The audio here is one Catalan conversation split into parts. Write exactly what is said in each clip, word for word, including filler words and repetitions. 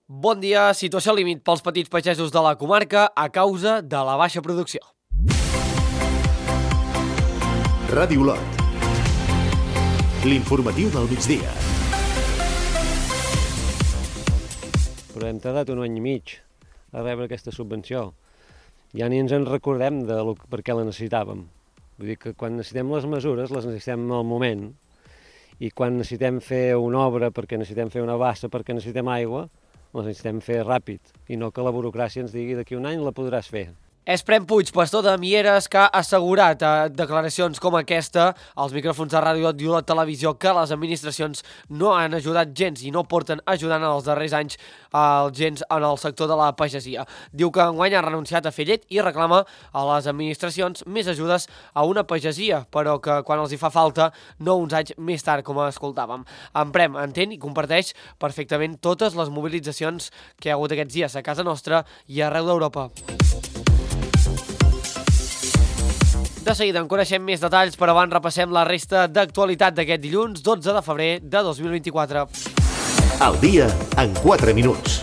Bon dia, situació límit pels petits pagesos de la comarca a causa de la baixa producció. Ràdio Olot. L'informatiu del migdia. Però hem tardat un any i mig a rebre aquesta subvenció. Ja ni ens en recordem de lo, per què la necessitàvem. Vull dir que quan necessitem les mesures, les necessitem al moment, i quan necessitem fer una obra perquè necessitem fer una bassa, perquè necessitem aigua, les necessitem fer ràpid, i no que la burocràcia ens digui d'aquí un any la podràs fer. És Prem Puig, pastor de Mieres, que ha assegurat a declaracions com aquesta als micròfons de Ràdio Olot i Olot Televisió que les administracions no han ajudat gens i no porten ajudant en els darrers anys els gens en el sector de la pagesia. Diu que enguany ha renunciat a fer llet i reclama a les administracions més ajudes a una pagesia, però que quan els hi fa falta, no uns anys més tard, com escoltàvem. En Prem entén i comparteix perfectament totes les mobilitzacions que hi ha hagut aquests dies a casa nostra i arreu d'Europa. De seguida en coneixem més detalls, però abans repassem la resta d'actualitat d'aquest dilluns, dotze de febrer de dos mil vint-i-quatre. Al dia en quatre minuts.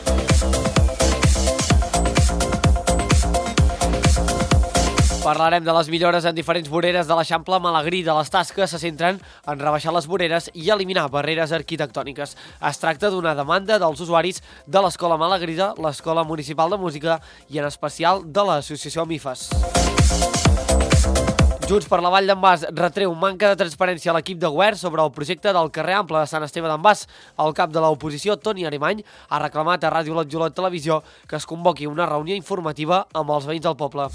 Parlarem de les millores en diferents voreres de l'Eixample Malagrí. De les tasques se centren en rebaixar les voreres i eliminar barreres arquitectòniques. Es tracta d'una demanda dels usuaris de l'Escola Malagrida, l'Escola Municipal de Música i en especial de l'Associació MIFAS. Junts per la Vall d'en Bas retreu manca de transparència a l'equip de govern sobre el projecte del carrer Ample de Sant Esteve d'en Bas. El cap de l'oposició, Toni Arimany, ha reclamat a Ràdio Olot i Olot Televisió que es convoqui una reunió informativa amb els veïns del poble.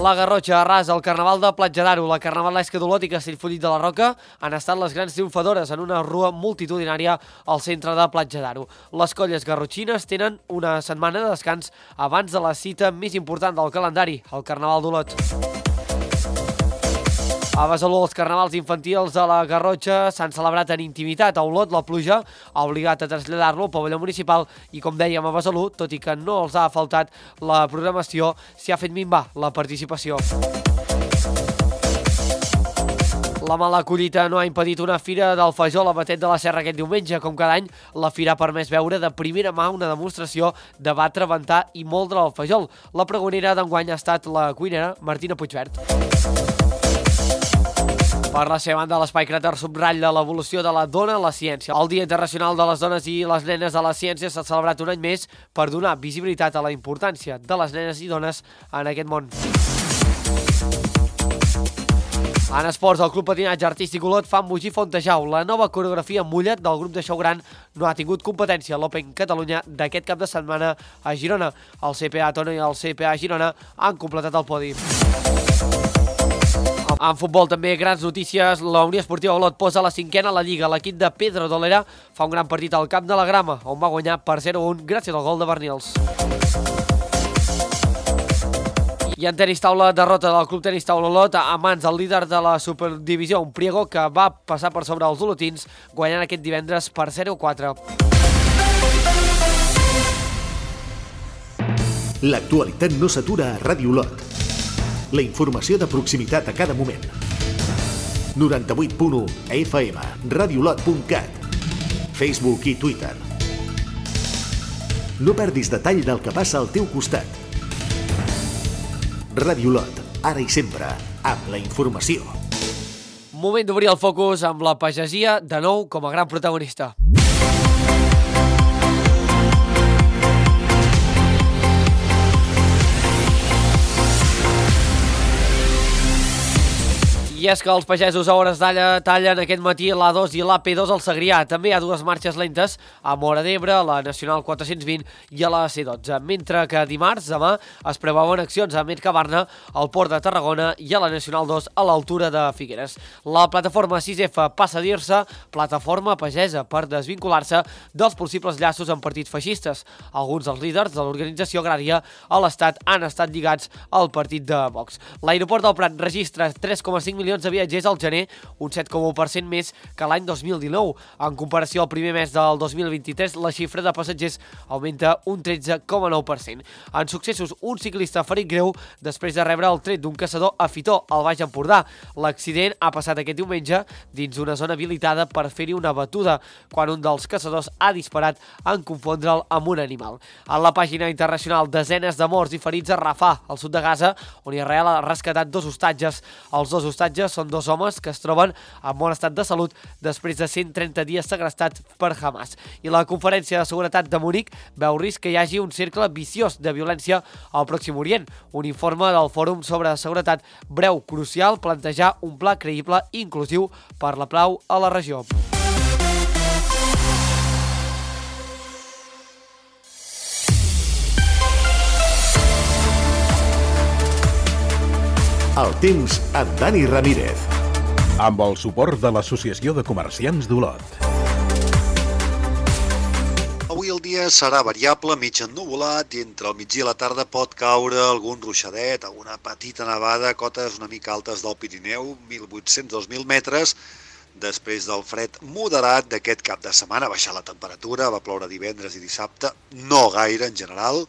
La Garrotxa arrasa el Carnaval de Platja d'Aro. La Carnavalesca d'Olot i Castellfollit de la Roca han estat les grans triomfadores en una rua multitudinària al centre de Platja d'Aro. Les colles garrotxines tenen una setmana de descans abans de la cita més important del calendari, el Carnaval d'Olot. A Besalú, els carnavals infantils de la Garrotxa s'han celebrat en intimitat. A Olot, la pluja ha obligat a traslladar-lo al pavelló municipal i, com dèiem, a Besalú, tot i que no els ha faltat la programació, s'hi ha fet minvar la participació. La mala collita no ha impedit una fira del Fajol a Batet de la Serra aquest diumenge. Com cada any, la fira ha permès veure de primera mà una demostració de batre, ventar i moldre el fajol. La pregonera d'enguany ha estat la cuinera Martina Puigvert. Per la seva banda, l'Espai Cràter subratlla l'evolució de la dona a la ciència. El Dia Internacional de les Dones i les Nenes a la Ciència s'ha celebrat un any més per donar visibilitat a la importància de les nenes i dones en aquest món. En esports, el Club Patinatge Artístic Olot fa embogir Fontejau. La nova coreografia Mullet del grup de Xou Gran no ha tingut competència a l'Open Catalunya d'aquest cap de setmana a Girona. El C P A Tona i el C P A Girona han completat el podi. En futbol també grans notícies. La Unió Esportiva Olot posa la cinquena a la Lliga. L'equip de Pedro Dolera fa un gran partit al camp de la Grama, on va guanyar per zero a un gràcies al gol de Bernils. I en tenis taula, derrota del Club Tenis Taula Olot a mans del líder de la Superdivisió, un Priego que va passar per sobre els olotins, guanyant aquest divendres per zero a quatre. L'actualitat no s'atura a Ràdio Olot. La informació de proximitat a cada moment. noranta-vuit punt u a F M, radiolot punt cat, Facebook i Twitter. No perdis detall del que passa al teu costat. Ràdio Olot, ara i sempre, amb la informació. Moment d'obrir el focus amb la pagesia, de nou com a gran protagonista. I és que els pagesos a hores d'alla tallen aquest matí l'A dos i l'A P dos al Segrià. També hi ha dues marxes lentes a Móra d'Ebre, la Nacional quatre-cents vint i a la C dotze. Mentre que dimarts, demà, es preveuen accions a Mercabarna, al Port de Tarragona i a la Nacional dos a l'altura de Figueres. La plataforma sis F passa a dir-se plataforma pagesa per desvincular-se dels possibles llaços amb partits feixistes. Alguns dels líders de l'organització agrària a l'Estat han estat lligats al partit de Vox. L'aeroport del Prat registra tres coma cinc milions milions de viatgers al gener, un set coma u per cent més que l'any dos mil dinou. En comparació al primer mes del dos mil vint-i-tres, la xifra de passatgers augmenta un tretze coma nou per cent. En successos, un ciclista ha ferit greu després de rebre el tret d'un caçador a Fitó, al Baix Empordà. L'accident ha passat aquest diumenge dins una zona habilitada per fer-hi una batuda, quan un dels caçadors ha disparat en confondre'l amb un animal. En la pàgina internacional, desenes de morts i ferits a Rafah, al sud de Gaza, on Israel ha rescatat dos hostatges. Els dos hostatges són dos homes que es troben en bon estat de salut després de cent trenta dies segrestats per Hamas. I la Conferència de Seguretat de Munic veu risc que hi hagi un cercle viciós de violència al Pròxim Orient. Un informe del Fòrum sobre Seguretat breu crucial plantejar un pla creïble i inclusiu per la pau a la regió. El temps amb Dani Ramírez. Amb el suport de l'Associació de Comerciants d'Olot. Avui el dia serà variable, mig ennuvolat, i entre el migdia i la tarda pot caure algun ruixadet, alguna petita nevada, cotes una mica altes del Pirineu, mil vuit-cents a dos mil metres. Després del fred moderat d'aquest cap de setmana, ha baixat la temperatura, va ploure divendres i dissabte, no gaire en general,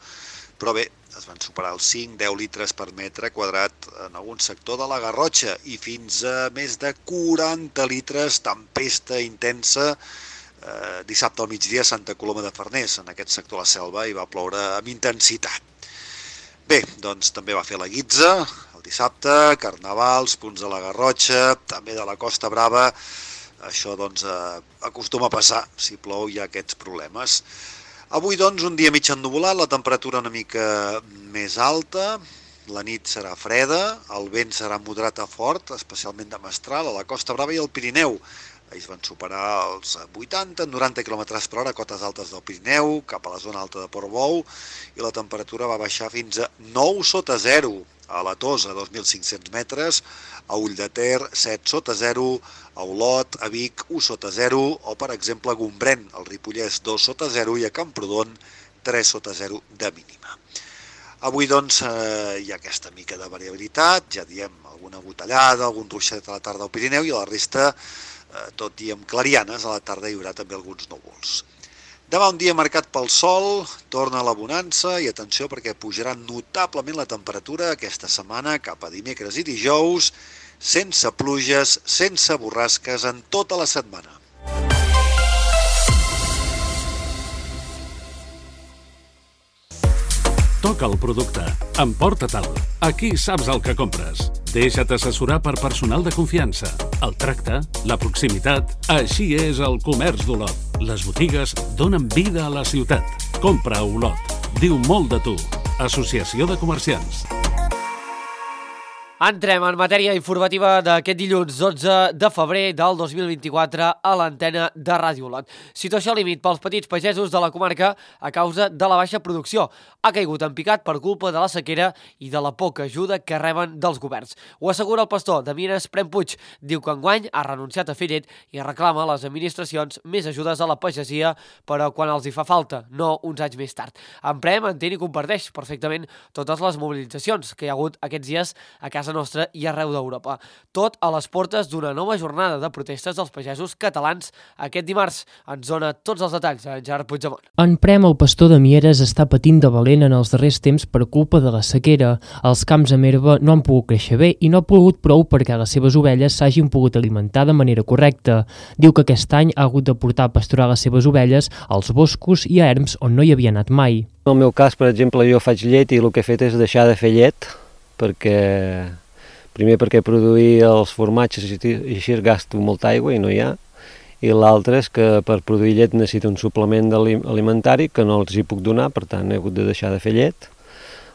però bé, es van superar els cinc a deu litres per metre quadrat en algun sector de la Garrotxa i fins a més de quaranta litres, tempesta intensa, eh, dissabte al migdia a Santa Coloma de Farners, en aquest sector de la Selva, i va ploure amb intensitat. Bé, doncs també va fer la guitza el dissabte, carnavals, punts de la Garrotxa, també de la Costa Brava. Això doncs eh, acostuma a passar, si plou hi ha aquests problemes. Avui, doncs, un dia mig ennuvolat, la temperatura una mica més alta, la nit serà freda, el vent serà moderat a fort, especialment de mestral, a la Costa Brava i al Pirineu. Ells van superar els vuitanta a noranta quilòmetres per hora, cotes altes del Pirineu, cap a la zona alta de Portbou, i la temperatura va baixar fins a nou sota zero, a la Tosa, dos mil cinc-cents metres, a Ulldeter, set sota zero, a Olot, a Vic, u sota zero, o per exemple a Gombrèn, al Ripollès, dos sota zero, i a Camprodon, tres sota zero de mínima. Avui, doncs, eh, hi ha aquesta mica de variabilitat, ja diem, alguna botellada, algun ruixadet a la tarda al Pirineu, i a la resta, eh, tot i amb clarianes, a la tarda hi haurà també alguns núvols. Demà un dia marcat pel sol, torna la bonança i atenció perquè pujarà notablement la temperatura aquesta setmana cap a dimecres i dijous, sense pluges, sense borrasques en tota la setmana. Toca el producte. Emporta-te'l. Aquí saps el que compres. Deixa't assessorar per personal de confiança. El tracte, la proximitat... Així és el comerç d'Olot. Les botigues donen vida a la ciutat. Compra a Olot. Diu molt de tu. Associació de Comerciants. Entrem en matèria informativa d'aquest dilluns dotze de febrer del dos mil vint-i-quatre a l'antena de Ràdio Olot. Situació límit pels petits pagesos de la comarca a causa de la baixa producció. Ha caigut en picat per culpa de la sequera i de la poca ajuda que reben dels governs. Ho assegura el pastor de Mieres, Prem Puig. Diu que enguany ha renunciat a fer llet i reclama a les administracions més ajudes a la pagesia, però quan els hi fa falta, no uns anys més tard. En Prem entén i comparteix perfectament totes les mobilitzacions que hi ha hagut aquests dies a casa nostra i arreu d'Europa. Tot a les portes d'una nova jornada de protestes dels pagesos catalans aquest dimarts. Ens dona tots els detalls en Gerard Puigdemont. En Prem, el pastor de Mieres, està patint de valent en els darrers temps per culpa de la sequera. Els camps amb herba no han pogut créixer bé i no ha plogut prou perquè les seves ovelles s'hagin pogut alimentar de manera correcta. Diu que aquest any ha hagut de portar a pasturar les seves ovelles als boscos i a erms on no hi havia anat mai. En el meu cas, per exemple, jo faig llet i el que he fet és deixar de fer llet perquè... Primer perquè produir els formatges i així gasto molta aigua i no hi ha, i l'altre és que per produir llet necessito un suplement alimentari que no els hi puc donar, per tant he hagut de deixar de fer llet.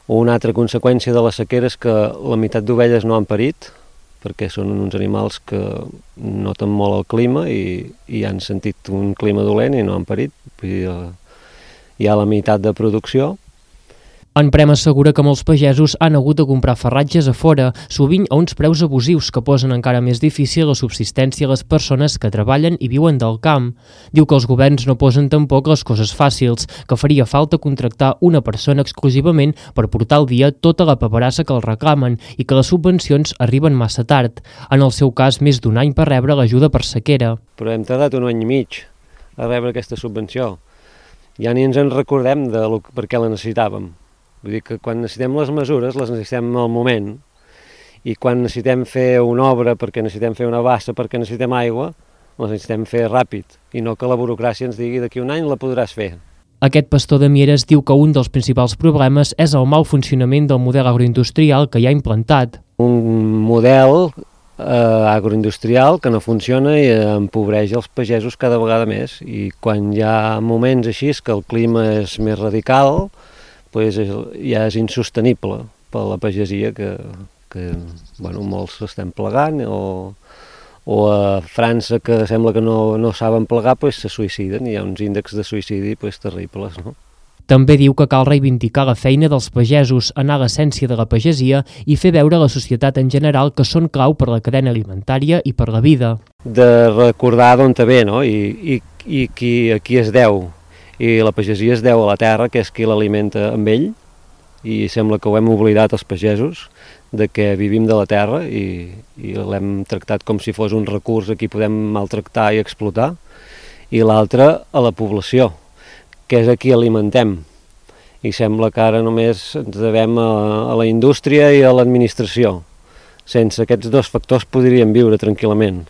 Una altra conseqüència de la sequera és que la meitat d'ovelles no han parit, perquè són uns animals que noten molt el clima i, i han sentit un clima dolent i no han parit, vull dir, hi ha la meitat de producció. En Prem assegura que molts pagesos han hagut de comprar farratges a fora, sovint a uns preus abusius que posen encara més difícil la subsistència a les persones que treballen i viuen del camp. Diu que els governs no posen tampoc les coses fàcils, que faria falta contractar una persona exclusivament per portar al dia tota la paperassa que els reclamen i que les subvencions arriben massa tard. En el seu cas, més d'un any per rebre l'ajuda per sequera. Però hem tardat un any i mig a rebre aquesta subvenció. Ja ni ens en recordem de lo, per què la necessitàvem. Vull dir que quan necessitem les mesures, les necessitem al moment, i quan necessitem fer una obra perquè necessitem fer una bassa, perquè necessitem aigua, les necessitem fer ràpid, i no que la burocràcia ens digui d'aquí un any la podràs fer. Aquest pastor de Mieres diu que un dels principals problemes és el mal funcionament del model agroindustrial que hi ha implantat. Un model eh, agroindustrial que no funciona i empobreix els pagesos cada vegada més, i quan hi ha moments així que el clima és més radical, pues ja és insostenible per la pagesia que, que bueno, molts estem plegant, o, o a França, que sembla que no, no saben plegar, pues se suïciden, i hi ha uns índexs de suïcidi pues, terribles, no? També diu que cal reivindicar la feina dels pagesos, anar a l'essència de la pagesia i fer veure a la societat en general que són clau per la cadena alimentària i per la vida. De recordar d'on te ve, no? I, i, i qui, a qui es deu. I la pagesia es deu a la terra, que és qui l'alimenta amb ell, i sembla que ho hem oblidat els pagesos, de que vivim de la terra i, i l'hem tractat com si fos un recurs a qui podem maltractar i explotar, i l'altre a la població, que és a qui alimentem. I sembla que ara només ens devem a, a la indústria i a l'administració. Sense aquests dos factors podríem viure tranquil·lament.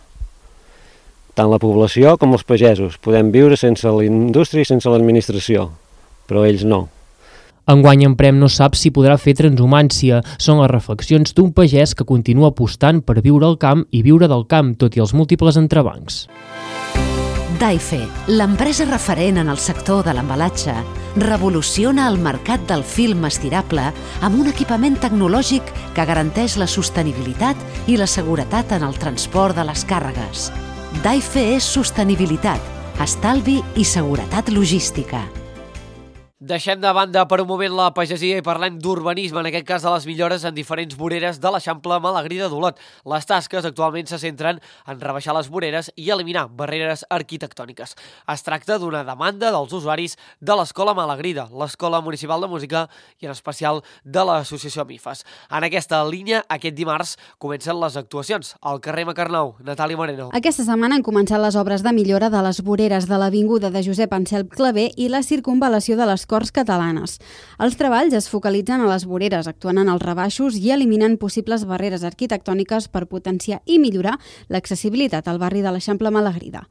Tant la població com els pagesos. Podem viure sense la indústria i sense l'administració, però ells no. Enguany en Prem no sap si podrà fer transhumància. Són les reflexions d'un pagès que continua apostant per viure al camp i viure del camp, tot i els múltiples entrebancs. Daife, l'empresa referent en el sector de l'embalatge, revoluciona el mercat del film estirable amb un equipament tecnològic que garanteix la sostenibilitat i la seguretat en el transport de les càrregues. Daife és sostenibilitat, estalvi i seguretat logística. Deixem de banda per un moment la pagesia i parlem d'urbanisme, en aquest cas de les millores en diferents voreres de l'Eixample Malagrí de Dolot. Les tasques actualment se centren en rebaixar les voreres i eliminar barreres arquitectòniques. Es tracta d'una demanda dels usuaris de l'Escola Malagrida, l'Escola Municipal de Música i en especial de l'Associació Mifas. En aquesta línia, aquest dimarts comencen les actuacions al carrer Macarnau. Natàlia Moreno. Aquesta setmana han començat les obres de millora de les voreres de l'avinguda de Josep Anselm Clavé i la circunvalació de les Corts Catalanes. Els treballs es focalitzen a les voreres, actuant en els rebaixos i eliminant possibles barreres arquitectòniques per potenciar i millorar l'accessibilitat al barri de l'Eixample Malagrida.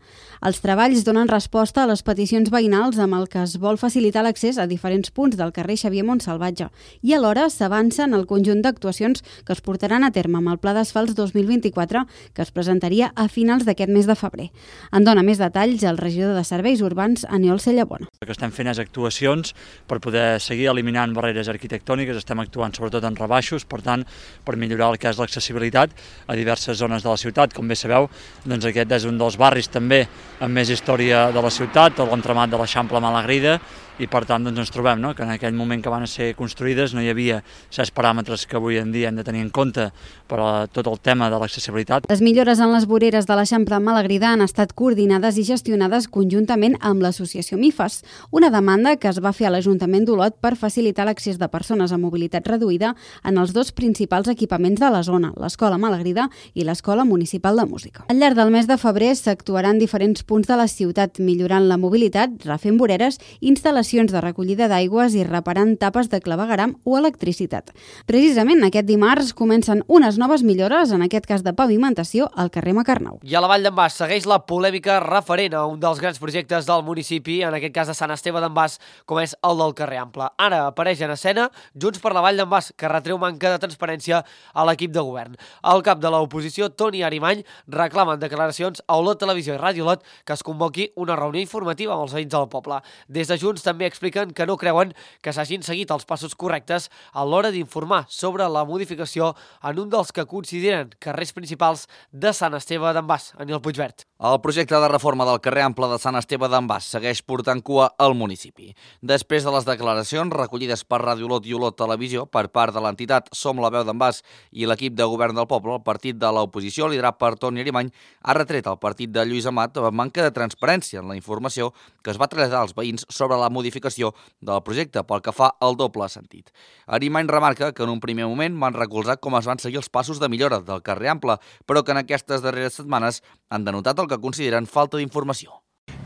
Els treballs donen resposta a les peticions veïnals amb el que es vol facilitar l'accés a diferents punts del carrer Xavier Montsalvatge i alhora s'avança en el conjunt d'actuacions que es portaran a terme amb el Pla d'Asfalts dos mil vint-i-quatre que es presentaria a finals d'aquest mes de febrer. En dona més detalls el regidor de Serveis Urbans, Aniol Cellabona. El que estem fent és actuacions per poder seguir eliminant barreres arquitectòniques, estem actuant sobretot en rebaixos, per tant, per millorar el que és l'accessibilitat a diverses zones de la ciutat. Com bé sabeu, doncs aquest és un dels barris també amb més història de la ciutat, tot l'entramat de l'Eixample Malagrida, i per tant doncs, ens trobem no? que en aquell moment que van ser construïdes no hi havia certs paràmetres que avui en dia hem de tenir en compte per a tot el tema de l'accessibilitat. Les millores en les voreres de l'Eixample Malagrida han estat coordinades i gestionades conjuntament amb l'Associació Mifas, una demanda que es va fer a l'Ajuntament d'Olot per facilitar l'accés de persones amb mobilitat reduïda en els dos principals equipaments de la zona, l'Escola Malagrida i l'Escola Municipal de Música. Al llarg del mes de febrer s'actuaran diferents punts de la ciutat, millorant la mobilitat, refent voreres, instal·lacions de recollida d'aigües i reparant tapes de clavegueram o electricitat. Precisament aquest dimarts comencen unes noves millores, en aquest cas de pavimentació, al carrer Macarnau. I a la Vall d'en Bas segueix la polèmica referent a un dels grans projectes del municipi, en aquest cas de Sant Esteve d'en Bas, com és el del carrer Ample. Ara apareix en escena Junts per la Vall d'en Bas, que retreu manca de transparència a l'equip de govern. El cap de l'oposició, Toni Arimany, reclama en declaracions a Olot Televisió i Ràdio Olot que es convoqui una reunió informativa amb els veïns del poble. Des de Junts també també expliquen que no creuen que s'hagin seguit els passos correctes a l'hora d'informar sobre la modificació en un dels que consideren carrers principals de Sant Esteve d'en Bas, Aniol Puigvert. El projecte de reforma del carrer Ample de Sant Esteve d'en Bas segueix portant cua al municipi. Després de les declaracions recollides per Ràdio Olot i Olot Televisió per part de l'entitat Som la veu d'en Bas i l'equip de govern del poble, el partit de l'oposició, liderat per Toni Arimany, ha retret al partit de Lluís Amat la manca de transparència en la informació que es va traslladar als veïns sobre la modificació del projecte pel que fa al doble sentit. Arimany remarca que en un primer moment van recolzar com es van seguir els passos de millora del carrer Ample, però que en aquestes darreres setmanes han denotat el que consideren falta d'informació.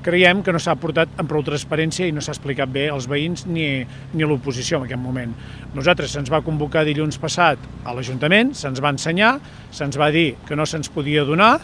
Creiem que no s'ha portat amb prou transparència i no s'ha explicat bé als veïns ni, ni a l'oposició en aquest moment. Nosaltres se'ns va convocar dilluns passat a l'Ajuntament, se'ns va ensenyar, se'ns va dir que no se'ns podia donar,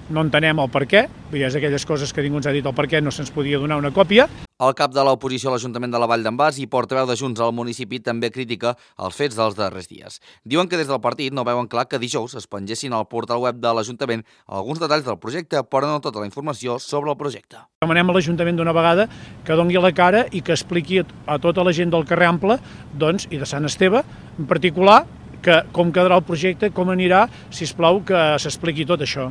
no entenem el per què, és aquelles coses que ningú ens ha dit el per què no se'ns podia donar una còpia. El cap de l'oposició a l'Ajuntament de la Vall d'en Bas i portaveu de Junts al municipi també critica els fets dels darrers dies. Diuen que des del partit no veuen clar que dijous es pengessin al portal web de l'Ajuntament alguns detalls del projecte, però no tota la informació sobre el projecte. Demanem a l'Ajuntament d'una vegada que doni la cara i que expliqui a tota la gent del carrer Ample, doncs, i de Sant Esteve en particular, que com quedarà el projecte, com anirà, sisplau, que s'expliqui tot això.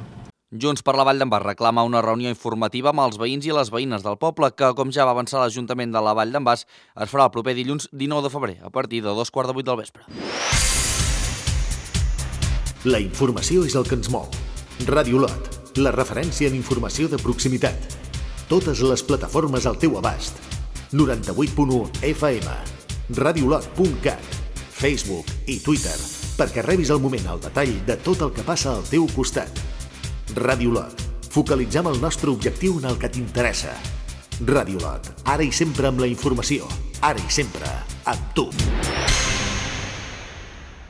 Junts per la Vall d'en Bas reclama una reunió informativa amb els veïns i les veïnes del poble que, com ja va avançar l'Ajuntament de la Vall d'en Bas, es farà el proper dilluns dinou de febrer, a partir de dos quarts de vuit del vespre. La informació és el que ens mou. Ràdio Olot, la referència en informació de proximitat. Totes les plataformes al teu abast. noranta-vuit punt u F M, radiolot punt cat, Facebook i Twitter, perquè rebis al moment el detall de tot el que passa al teu costat. Ràdio Olot. Focalitzem el nostre objectiu en el que t'interessa. Ràdio Olot. Ara i sempre amb la informació. Ara i sempre amb tu.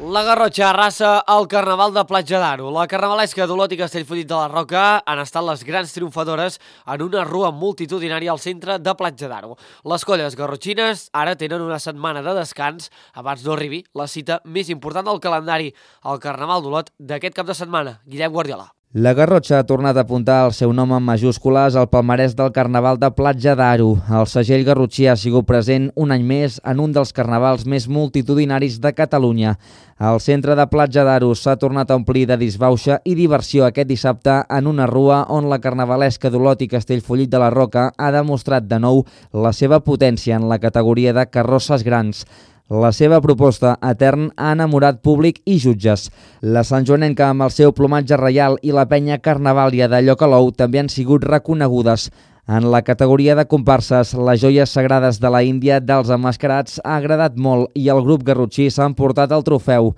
La Garrotxa arrasa el Carnaval de Platja d'Aro. La carnavalesca d'Olot i Castellfollit de la Roca han estat les grans triomfadores en una rua multitudinària al centre de Platja d'Aro. Les colles garrotxines ara tenen una setmana de descans abans no arribi la cita més important del calendari, el Carnaval d'Olot d'aquest cap de setmana. Guillem Guardiola. La Garrotxa ha tornat a apuntar el seu nom en majúscules al palmarès del Carnaval de Platja d'Aro. El segell garrotxí ha sigut present un any més en un dels carnavals més multitudinaris de Catalunya. El centre de Platja d'Aro s'ha tornat a omplir de disbauxa i diversió aquest dissabte en una rua on la carnavalesca d'Olot i Castellfollit de la Roca ha demostrat de nou la seva potència en la categoria de carrosses grans. La seva proposta etern ha enamorat públic i jutges. La santjoanenca amb el seu plomatge reial i la penya carnavàlia de Llocalou també han sigut reconegudes. En la categoria de comparses, les joies sagrades de la Índia dels emmascarats ha agradat molt i el grup garrotxí s'ha emportat el trofeu.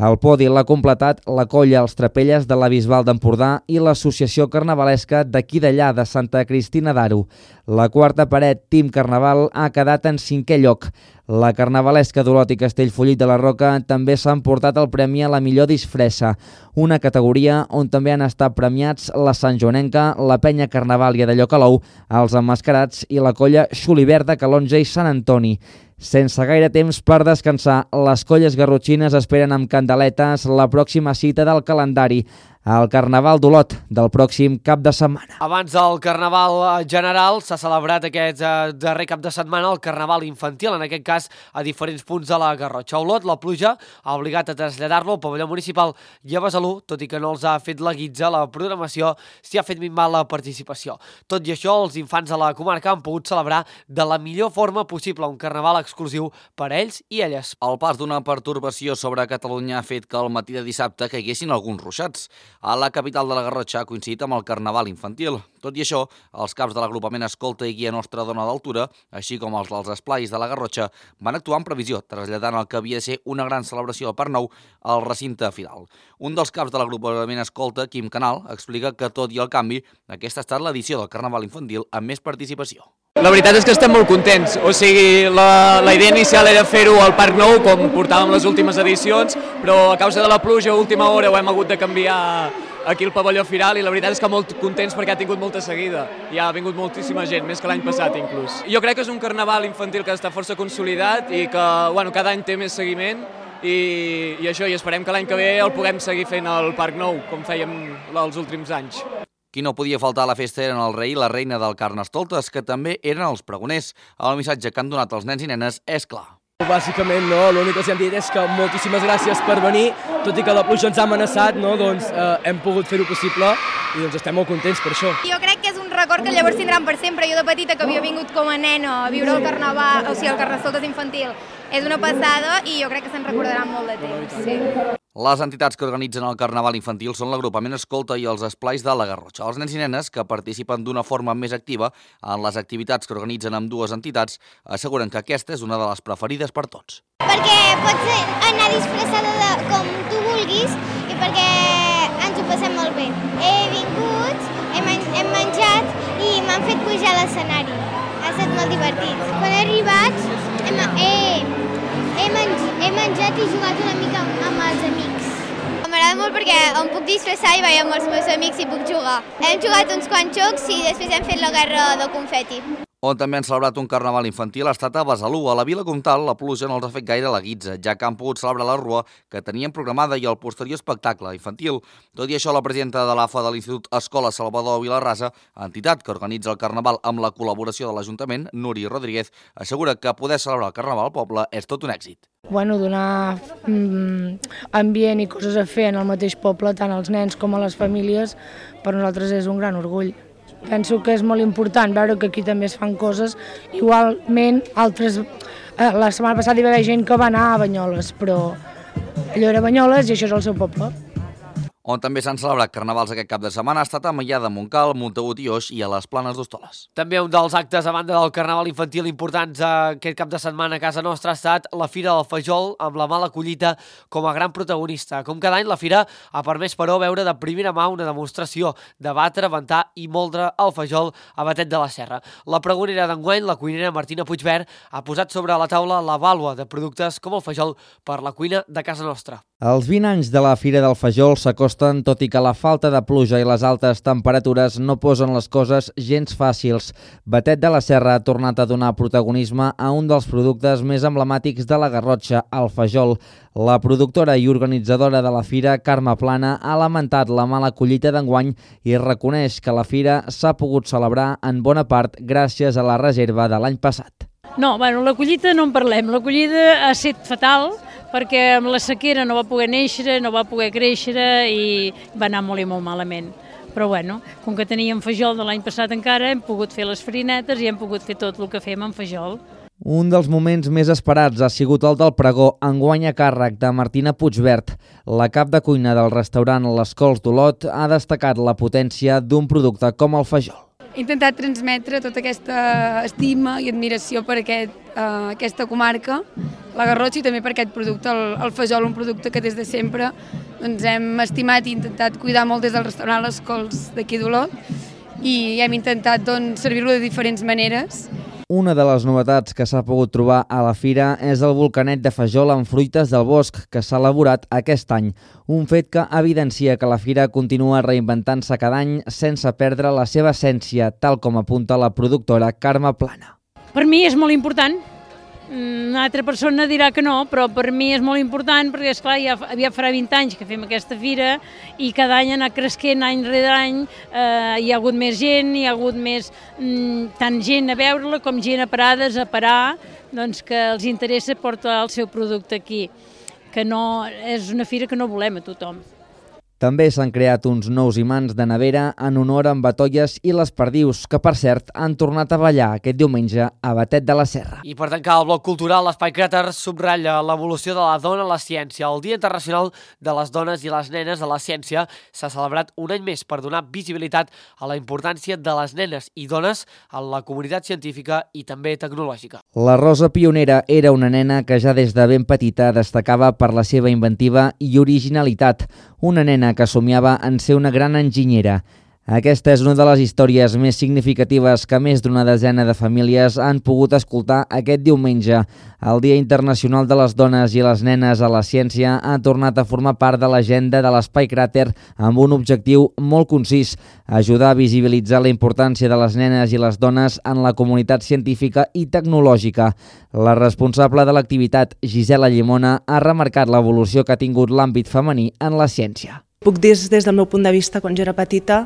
El podi l'ha completat la colla Els Trapelles de la Bisbal d'Empordà i l'Associació Carnavalesca d'aquí d'allà de Santa Cristina d'Aro. La quarta paret, Team Carnaval, ha quedat en cinquè lloc. La carnavalesca d'Olot i Castellfollit de la Roca també s'ha emportat el premi a la millor disfressa, una categoria on també han estat premiats la santjoanenca, la penya carnavàlia de Llocalou, els emmascarats i la colla Xulivert de Calonja i Sant Antoni. Sense gaire temps per descansar, les colles garrotxines esperen amb candeletes la pròxima cita del calendari, el Carnaval d'Olot del pròxim cap de setmana. Abans del Carnaval general s'ha celebrat aquest eh, darrer cap de setmana el Carnaval infantil, en aquest cas a diferents punts de la Garrotxa. A Olot, la pluja ha obligat a traslladar-lo al pavelló municipal i a Besalú, tot i que no els ha fet la guitza, la programació s'hi ha fet minvar la participació. Tot i això, els infants de la comarca han pogut celebrar de la millor forma possible un Carnaval exclusiu per a ells i elles. El pas d'una pertorbació sobre Catalunya ha fet que al matí de dissabte caiguessin alguns ruixats. A la capital de la Garrotxa ha coincidit amb el Carnaval infantil. Tot i això, els caps de l'agrupament Escolta i Guia Nostra Dona d'Altura, així com els dels esplais de la Garrotxa, van actuar en previsió, traslladant el que havia de ser una gran celebració del Parc Nou al recinte final. Un dels caps de l'agrupament Escolta, Quim Canal, explica que tot i el canvi, aquesta ha estat l'edició del Carnaval infantil amb més participació. La veritat és que estem molt contents, o sigui, la, la idea inicial era fer-ho al Parc Nou, com portàvem les últimes edicions, però a causa de la pluja a última hora ho hem hagut de canviar aquí al pavelló Firal i la veritat és que molt contents perquè ha tingut molta seguida i ha vingut moltíssima gent, més que l'any passat inclús. Jo crec que és un carnaval infantil que està força consolidat i que bueno, cada any té més seguiment i, i això, i esperem que l'any que ve el puguem seguir fent al Parc Nou, com fèiem els últims anys. Qui no podia faltar a la festa eren el rei i la reina del Carnestoltes, que també eren els pregoners. El missatge que han donat els nens i nenes és clar. Bàsicament, no, l'únic que els hem dit és que moltíssimes gràcies per venir, tot i que la pluja ens ha amenaçat, no, doncs eh, hem pogut fer-ho possible i doncs estem molt contents per això. Jo crec que és un record que llavors tindran per sempre. Jo de petita, que havia vingut com a nena a viure el carnaval, o sigui, el Carnestoltes infantil, és una passada i jo crec que se'n recordaran molt de temps. Sí. Les entitats que organitzen el Carnaval infantil són l'agrupament Escolta i els esplais de la Garrotxa. Els nens i nenes, que participen d'una forma més activa en les activitats que organitzen amb dues entitats, asseguren que aquesta és una de les preferides per tots. Perquè pots anar disfressada de, com tu vulguis i perquè ens ho passem molt bé. He vingut, he, men hem menjat i m'han fet pujar a l'escenari. Ha estat molt divertit. Quan he arribat hem, he, he, menj he menjat i jugat una mica amb els amics. M'agrada molt perquè em puc disfressar i vaig amb els meus amics i puc jugar. Hem jugat uns quants jocs i després hem fet la guerra de confeti. On també han celebrat un carnaval infantil ha estat a Besalú. A la Vila Comtal la pluja no els ha fet gaire la guitza, ja que han pogut celebrar la rua que tenien programada i el posterior espectacle infantil. Tot i això, la presidenta de l'A F A de l'Institut Escola Salvador Vilarrasa, entitat que organitza el carnaval amb la col·laboració de l'Ajuntament, Nuri Rodríguez, assegura que poder celebrar el carnaval al poble és tot un èxit. Bueno, donar mm, ambient i coses a fer en el mateix poble, tant als nens com a les famílies, per nosaltres és un gran orgull. Penso que és molt important veure que aquí també es fan coses. Igualment, altres, eh, la setmana passada hi va haver gent que va anar a Banyoles, però allò era Banyoles i això és el seu poble. On també s'han celebrat carnavals aquest cap de setmana ha estat a Maià de Montcal, Montagut i Oix i a les Planes d'Hostoles. També un dels actes a banda del carnaval infantil importants aquest cap de setmana a casa nostra ha estat la Fira del Fajol, amb la mala collita com a gran protagonista. Com cada any, la Fira ha permès, però, veure de primera mà una demostració de batre, ventar i moldre el fajol a Batet de la Serra. La pregonera d'enguany, la cuinera Martina Puigvert, ha posat sobre la taula la vàlua de productes com el fajol per la cuina de casa nostra. Els vint anys de la Fira del Fajol s'acosten, tot i que la falta de pluja i les altes temperatures no posen les coses gens fàcils. Batet de la Serra ha tornat a donar protagonisme a un dels productes més emblemàtics de la Garrotxa, el fajol. La productora i organitzadora de la Fira, Carme Plana, ha lamentat la mala collita d'enguany i reconeix que la Fira s'ha pogut celebrar en bona part gràcies a la reserva de l'any passat. No, bueno, la collita no en parlem. La collita ha estat fatal, perquè amb la sequera no va poder néixer, no va poder créixer i va anar molt i molt malament. Però bueno, com que teníem fajol de l'any passat encara, hem pogut fer les farinetes i hem pogut fer tot el que fem amb fajol. Un dels moments més esperats ha sigut el del pregó, enguany a càrrec de Martina Puigvert. La cap de cuina del restaurant Les Cols d'Olot ha destacat la potència d'un producte com el fajol. He intentat transmetre tota aquesta estima i admiració per aquest, uh, aquesta comarca, la Garrotxa, i també per aquest producte, el, el fajol, un producte que des de sempre doncs, hem estimat i intentat cuidar molt des del restaurant Les Cols d'aquí d'Olot, i hem intentat doncs, servir-lo de diferents maneres. Una de les novetats que s'ha pogut trobar a la fira és el volcanet de fajol amb fruites del bosc que s'ha elaborat aquest any, un fet que evidencia que la fira continua reinventant-se cada any sense perdre la seva essència, tal com apunta la productora Carme Plana. Per mi és molt important. Una altra persona dirà que no, però per mi és molt important perquè, esclar, ja, ja farà vint anys que fem aquesta fira i cada any ha anat cresquent any rere any, eh, hi ha hagut més gent, hi ha hagut més, mm, tant gent a veure-la com gent a parades a parar, doncs que els interessa portar el seu producte aquí, que no, és una fira que no volem a tothom. També s'han creat uns nous imants de nevera en honor a en Batolles i les Perdius, que per cert han tornat a ballar aquest diumenge a Batet de la Serra. I per tancar el bloc cultural, l'Espai Cràter subratlla l'evolució de la dona a la ciència. El Dia Internacional de les Dones i les Nenes a la Ciència s'ha celebrat un any més per donar visibilitat a la importància de les nenes i dones en la comunitat científica i també tecnològica. La Rosa Pionera era una nena que ja des de ben petita destacava per la seva inventiva i originalitat. Una nena que somiava en ser una gran enginyera. Aquesta és una de les històries més significatives que més d'una desena de famílies han pogut escoltar aquest diumenge. El Dia Internacional de les Dones i les Nenes a la Ciència ha tornat a formar part de l'agenda de l'Espai Cràter amb un objectiu molt concís: ajudar a visibilitzar la importància de les nenes i les dones en la comunitat científica i tecnològica. La responsable de l'activitat, Gisela Llimona, ha remarcat l'evolució que ha tingut l'àmbit femení en la ciència. Puc dir des del meu punt de vista, quan jo era petita,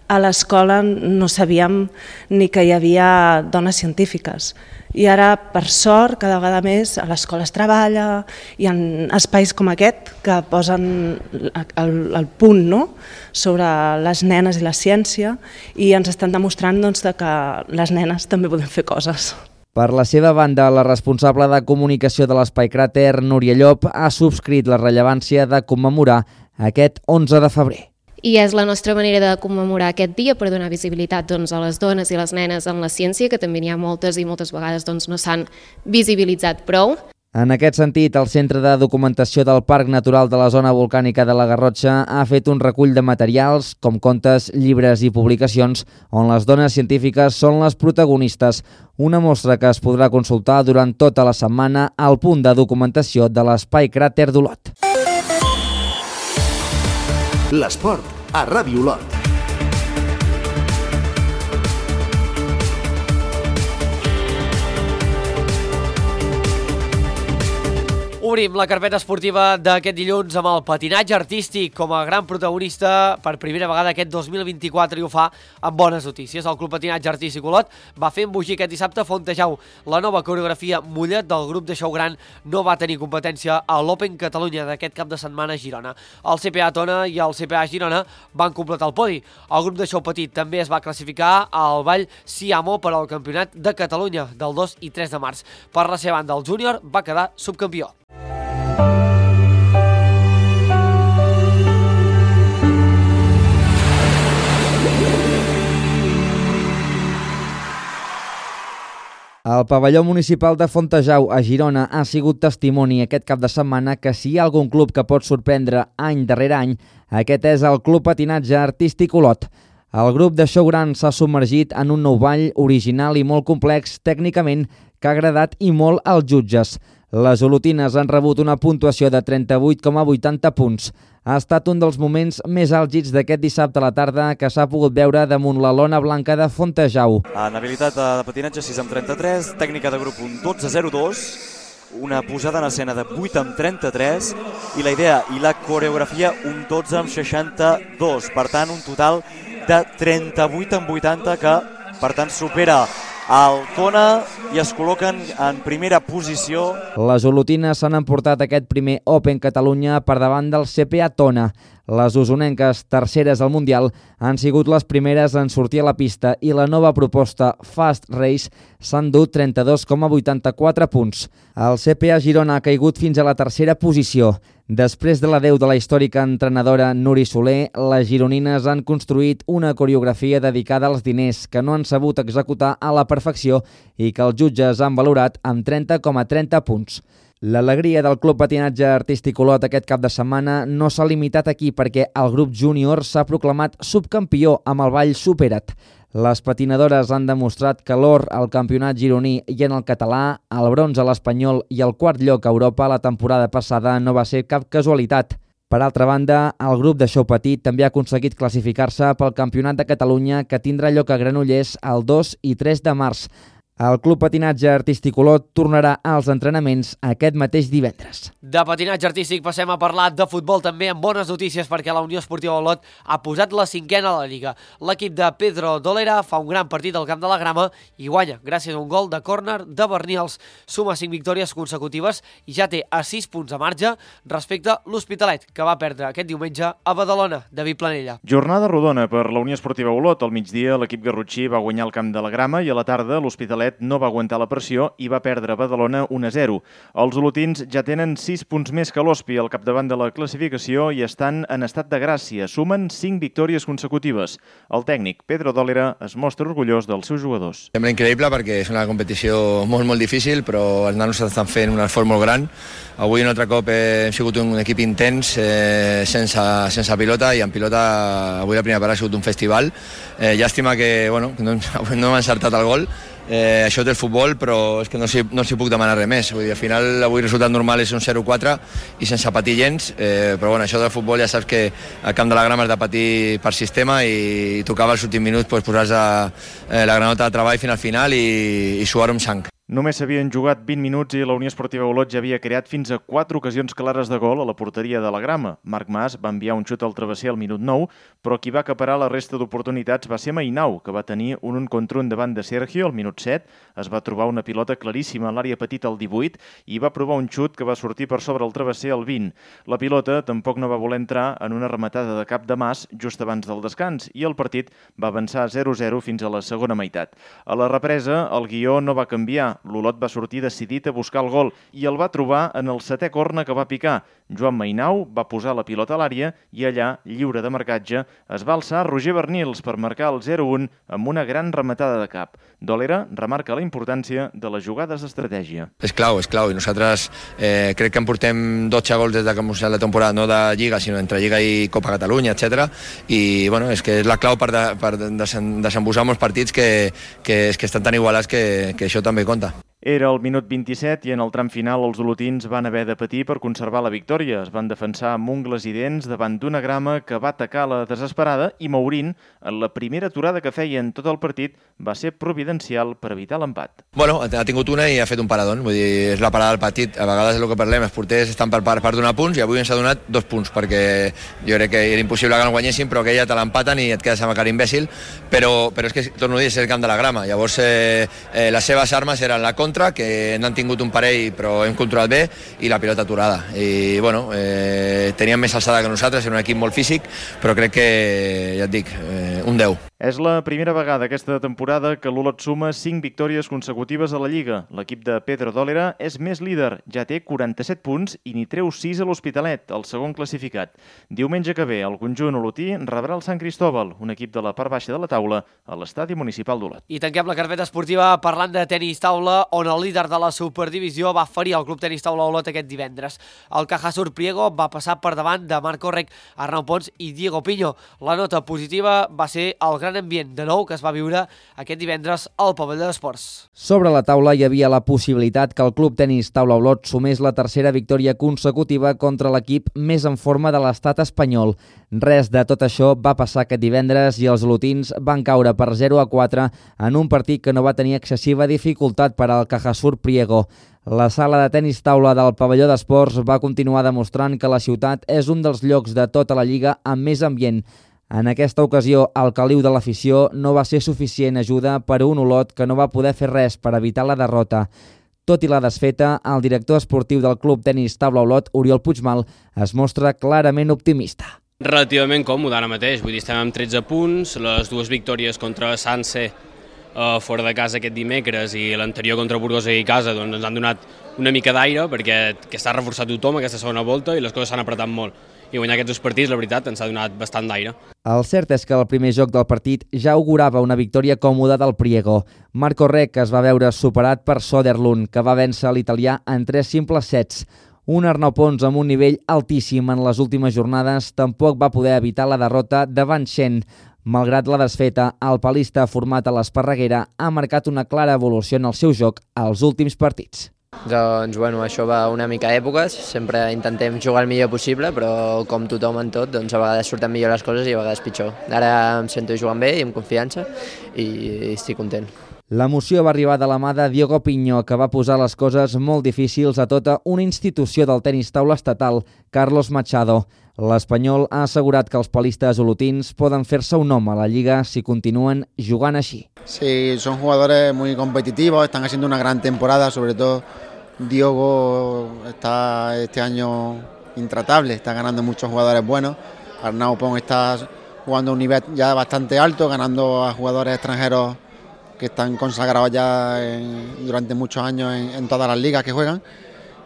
a l'escola no sabíem ni que hi havia dones científiques. I ara, per sort, cada vegada més a l'escola es treballa, hi ha espais com aquest que posen el, el punt, no?, sobre les nenes i la ciència, i ens estan demostrant doncs, que les nenes també podem fer coses. Per la seva banda, la responsable de comunicació de l'Espai Cràter, Núria Llop, ha subscrit la rellevància de commemorar aquest onze de febrer. I és la nostra manera de commemorar aquest dia per donar visibilitat doncs, a les dones i les nenes en la ciència, que també n'hi ha moltes i moltes vegades doncs, no s'han visibilitzat prou. En aquest sentit, el Centre de Documentació del Parc Natural de la Zona Volcànica de la Garrotxa ha fet un recull de materials, com contes, llibres i publicacions, on les dones científiques són les protagonistes. Una mostra que es podrà consultar durant tota la setmana al punt de documentació de l'Espai Cràter d'Olot. L'esport a Ràdio Olot. Obrim la carpeta esportiva d'aquest dilluns amb el patinatge artístic com a gran protagonista per primera vegada aquest dos mil vint-i-quatre, i ho fa amb bones notícies. El Club Patinatge Artístic Olot va fer embogir aquest dissabte a Fontejau. La nova coreografia Mollet del grup de Xou Gran no va tenir competència a l'Open Catalunya d'aquest cap de setmana a Girona. El C P A Tona i el C P A Girona van completar el podi. El grup de Xou Petit també es va classificar al Ball Siamo per al Campionat de Catalunya del dos i tres de març. Per la seva banda, el júnior va quedar subcampió. El pavelló municipal de Fontejau a Girona ha sigut testimoni aquest cap de setmana que si hi ha algun club que pot sorprendre any darrere any, aquest és el Club Patinatge Artístic Olot. El grup de Xou Gran s'ha submergit en un nou ball original i molt complex tècnicament que ha agradat i molt als jutges. Les olotines han rebut una puntuació de trenta-vuit coma vuitanta punts. Ha estat un dels moments més àlgids d'aquest dissabte a la tarda que s'ha pogut veure damunt la lona blanca de Fontejau. En habilitat de patinatge sis amb trenta-tres, tècnica de grup un dotze zero dos, una posada en escena de vuit amb trenta-tres i la idea i la coreografia un dotze amb seixanta-dos. Per tant, un total de trenta-vuit amb vuitanta que, per tant, supera el Tona i es col·loquen en primera posició. Les olotines s'han emportat aquest primer Open Catalunya per davant del C P A Tona. Les usonenques, terceres al Mundial, han sigut les primeres en sortir a la pista i la nova proposta Fast Race s'han dut trenta-dos coma vuitanta-quatre punts. El C P A Girona ha caigut fins a la tercera posició. Després de l'adeu de la històrica entrenadora Nuri Soler, les gironines han construït una coreografia dedicada als diners que no han sabut executar a la perfecció i que els jutges han valorat amb trenta coma trenta punts. L'alegria del Club Patinatge Artístic Olot aquest cap de setmana no s'ha limitat aquí perquè el grup júnior s'ha proclamat subcampió amb el ball Supera't. Les patinadores han demostrat que l'or al campionat gironí i en el català, el bronze a l'espanyol i el quart lloc a Europa la temporada passada no va ser cap casualitat. Per altra banda, el grup de Xou Petit també ha aconseguit classificar-se pel Campionat de Catalunya que tindrà lloc a Granollers el dos i tres de març. El Club Patinatge Artístic Olot tornarà als entrenaments aquest mateix divendres. De patinatge artístic passem a parlar de futbol també amb bones notícies perquè la Unió Esportiva Olot ha posat la cinquena a la Lliga. L'equip de Pedro Dolera fa un gran partit al Camp de la Grama i guanya gràcies a un gol de córner de Bernils. Suma cinc victòries consecutives i ja té a sis punts de marge respecte a l'Hospitalet, que va perdre aquest diumenge a Badalona. David Planella. Jornada rodona per la Unió Esportiva Olot. Al migdia l'equip garrotxí va guanyar el Camp de la Grama i a la tarda l'Hospitalet no va aguantar la pressió i va perdre a Badalona un a zero. Els olotins ja tenen sis punts més que l'Hospi al capdavant de la classificació i estan en estat de gràcia. Sumen cinc victòries consecutives. El tècnic Pedro Dolera es mostra orgullós dels seus jugadors. Sembla increïble perquè és una competició molt, molt difícil, però els nanos estan fent un esforç molt gran. Avui un altre cop hem sigut un equip intens, eh, sense, sense pilota, i en pilota avui la primera part ha sigut un festival. Eh, llàstima que bueno, no, no hem encertat el gol. Eh, això té el futbol, però és que no s'hi no puc demanar res més. Vull dir, al final, avui el resultat normal és un zero quatre i sense patir gens, eh, però bueno, això del futbol ja saps que al Camp de la Grama has de patir per sistema i tocava els últims minuts pues, posar-se eh, la granota de treball fins al final i, i suar-ho amb sang. Només s'havien jugat vint minuts i la Unió Esportiva Olot ja havia creat fins a quatre ocasions clares de gol a la porteria de la Grama. Marc Mas va enviar un xut al travesser al minut nou, però qui va acaparar la resta d'oportunitats va ser Mainau, que va tenir un un contra un davant de Sergio al minut set, es va trobar una pilota claríssima a l'àrea petita al divuit i va provar un xut que va sortir per sobre el travesser al vint. La pilota tampoc no va voler entrar en una rematada de cap de Mas just abans del descans i el partit va avançar zero a zero fins a la segona meitat. A la represa, el guió no va canviar. L'Olot va sortir decidit a buscar el gol i el va trobar en el setè corna que va picar. Joan Mainau va posar la pilota a l'àrea i allà, lliure de marcatge, es va alçar Roger Bernils per marcar el zero a un amb una gran rematada de cap. Dolera remarca la importància de les jugades d'estratègia. És clau, és clau, i nosaltres eh, crec que en portem dotze gols des de que hem començat la temporada, no de Lliga, sinó entre Lliga i Copa Catalunya, etcètera. I bueno, és que és la clau per, de, per desembussar molts partits que, que, que estan tan igualats que, que això també compta. Era el minut vint-i-set i en el tram final els olotins van haver de patir per conservar la victòria. Es van defensar amb ungles i dents davant d'una Grama que va atacar la desesperada i Mourín, en la primera aturada que feia en tot el partit, va ser providencial per evitar l'empat. Bueno, ha tingut una i ha fet un paradón, vull dir, és la parada del partit. A vegades el que parlem, els porters estan per part per donar punts i avui ens ha donat dos punts, perquè jo crec que era impossible que no guanyessin, però aquella te l'empaten i et quedes amb cara imbècil, però, però és que, torno a dir, és el camp de la Grama. Llavors, eh, eh, les seves armes eren la contra, que n'han tingut un parell però hem controlat bé, i la pilota aturada. I bueno, eh, tenien més alçada que nosaltres, era un equip molt físic, però crec que, ja et dic, eh, un deu. És la primera vegada aquesta temporada que l'Olot suma cinc victòries consecutives a la Lliga. L'equip de Pedro Dólera és més líder, ja té quaranta-set punts i n'hi treu sis a l'Hospitalet, el segon classificat. Diumenge que ve, el conjunt olotí rebrà el Sant Cristóbal, un equip de la part baixa de la taula, a l'estadi municipal d'Olot. I tanquem la carpeta esportiva parlant de tenis taula, on el líder de la superdivisió va ferir el Club Tenis Taula Olot aquest divendres. El Cajasur Priego va passar per davant de Marco Rec, Arnau Pons i Diego Piño. La nota positiva va ser el gran ambient de nou que es va viure aquest divendres al pavelló d'esports. Sobre la taula hi havia la possibilitat que el Club Tenis Taula Olot sumés la tercera victòria consecutiva contra l'equip més en forma de l'estat espanyol. Res de tot això va passar aquest divendres i els olotins van caure per zero a quatre en un partit que no va tenir excessiva dificultat per al Cajasur Priego. La sala de tenis taula del pavelló d'esports va continuar demostrant que la ciutat és un dels llocs de tota la Lliga amb més ambient. En aquesta ocasió, el caliu de l'afició no va ser suficient ajuda per a un Olot que no va poder fer res per evitar la derrota. Tot i la desfeta, el director esportiu del Club Tenis Taula Olot, Oriol Puigmal, es mostra clarament optimista. Relativament còmode ara mateix, vull dir, estem amb tretze punts, les dues victòries contra Sanse uh, fora de casa aquest dimecres i l'anterior contra Burgos i casa doncs, ens han donat una mica d'aire perquè que s'ha reforçat tothom aquesta segona volta i les coses s'han apretat molt. I guanyar aquests dos partits, la veritat, ens ha donat bastant d'aire. El cert és que el primer joc del partit ja augurava una victòria còmoda del Priego. Marco Rec es va veure superat per Soderlund, que va vèncer l'italià en tres simples sets. Un Arnau Pons amb un nivell altíssim en les últimes jornades tampoc va poder evitar la derrota davant Shen. Malgrat la desfeta, el palista format a l'Esparreguera ha marcat una clara evolució en el seu joc als últims partits. Doncs, bueno, això va una mica a èpoques, sempre intentem jugar el millor possible, però com tothom en tot, doncs a vegades surten millor les coses i a vegades pitjor. Ara em sento jugant bé i amb confiança i estic content. L'emoció va arribar de la mà de Diego Piño, que va posar les coses molt difícils a tota una institució del tenis taula estatal, Carlos Machado. L'espanyol ha assegurat que els palistes olotins poden fer-se un nom a la Lliga si continuen jugant així. Sí, son jugadores muy competitivos, están haciendo una gran temporada, sobre todo Diogo está este año intratable, está ganando muchos jugadores buenos, Arnau Pons está jugando a un nivel ya bastante alto, ganando a jugadores extranjeros que están consagrados ya en, durante muchos años en, en todas las ligas que juegan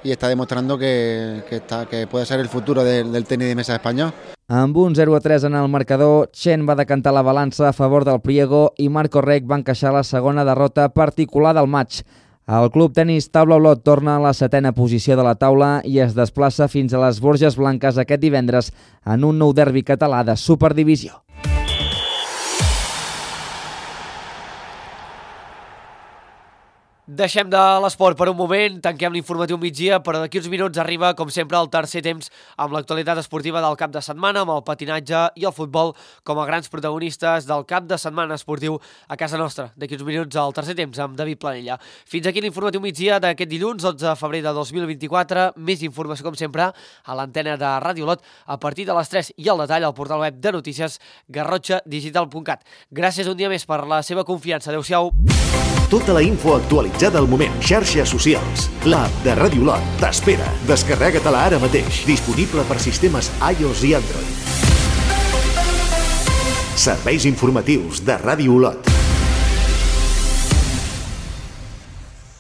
y está demostrando que, que, está, que puede ser el futuro de, del tenis de mesa espanyol. Amb un zero a tres en el marcador, Chen va decantar la balança a favor del Priego i Marco Rec va encaixar la segona derrota particular del maig. El Club Tenis Taula Olot torna a la setena posició de la taula i es desplaça fins a les Borges Blanques aquest divendres en un nou derbi català de Superdivisió. Deixem de l'esport per un moment, tanquem l'informatiu migdia, però d'aquí uns minuts arriba, com sempre, el tercer temps amb l'actualitat esportiva del cap de setmana, amb el patinatge i el futbol com a grans protagonistes del cap de setmana esportiu a casa nostra. D'aquí uns minuts al tercer temps amb David Planella. Fins aquí l'informatiu migdia d'aquest dilluns, dotze de febrer de dos mil vint-i-quatre. Més informació, com sempre, a l'antena de Ràdio Olot a partir de les tres i al detall al portal web de notícies garrotxa digital punt cat. Gràcies un dia més per la seva confiança. Adéu-siau. Tota la info actualitzada al moment. Xarxes socials. L'app de Ràdio Olot t'espera. Descarrega-te-la ara mateix. Disponible per sistemes iOS i Android. Serveis informatius de Ràdio Olot.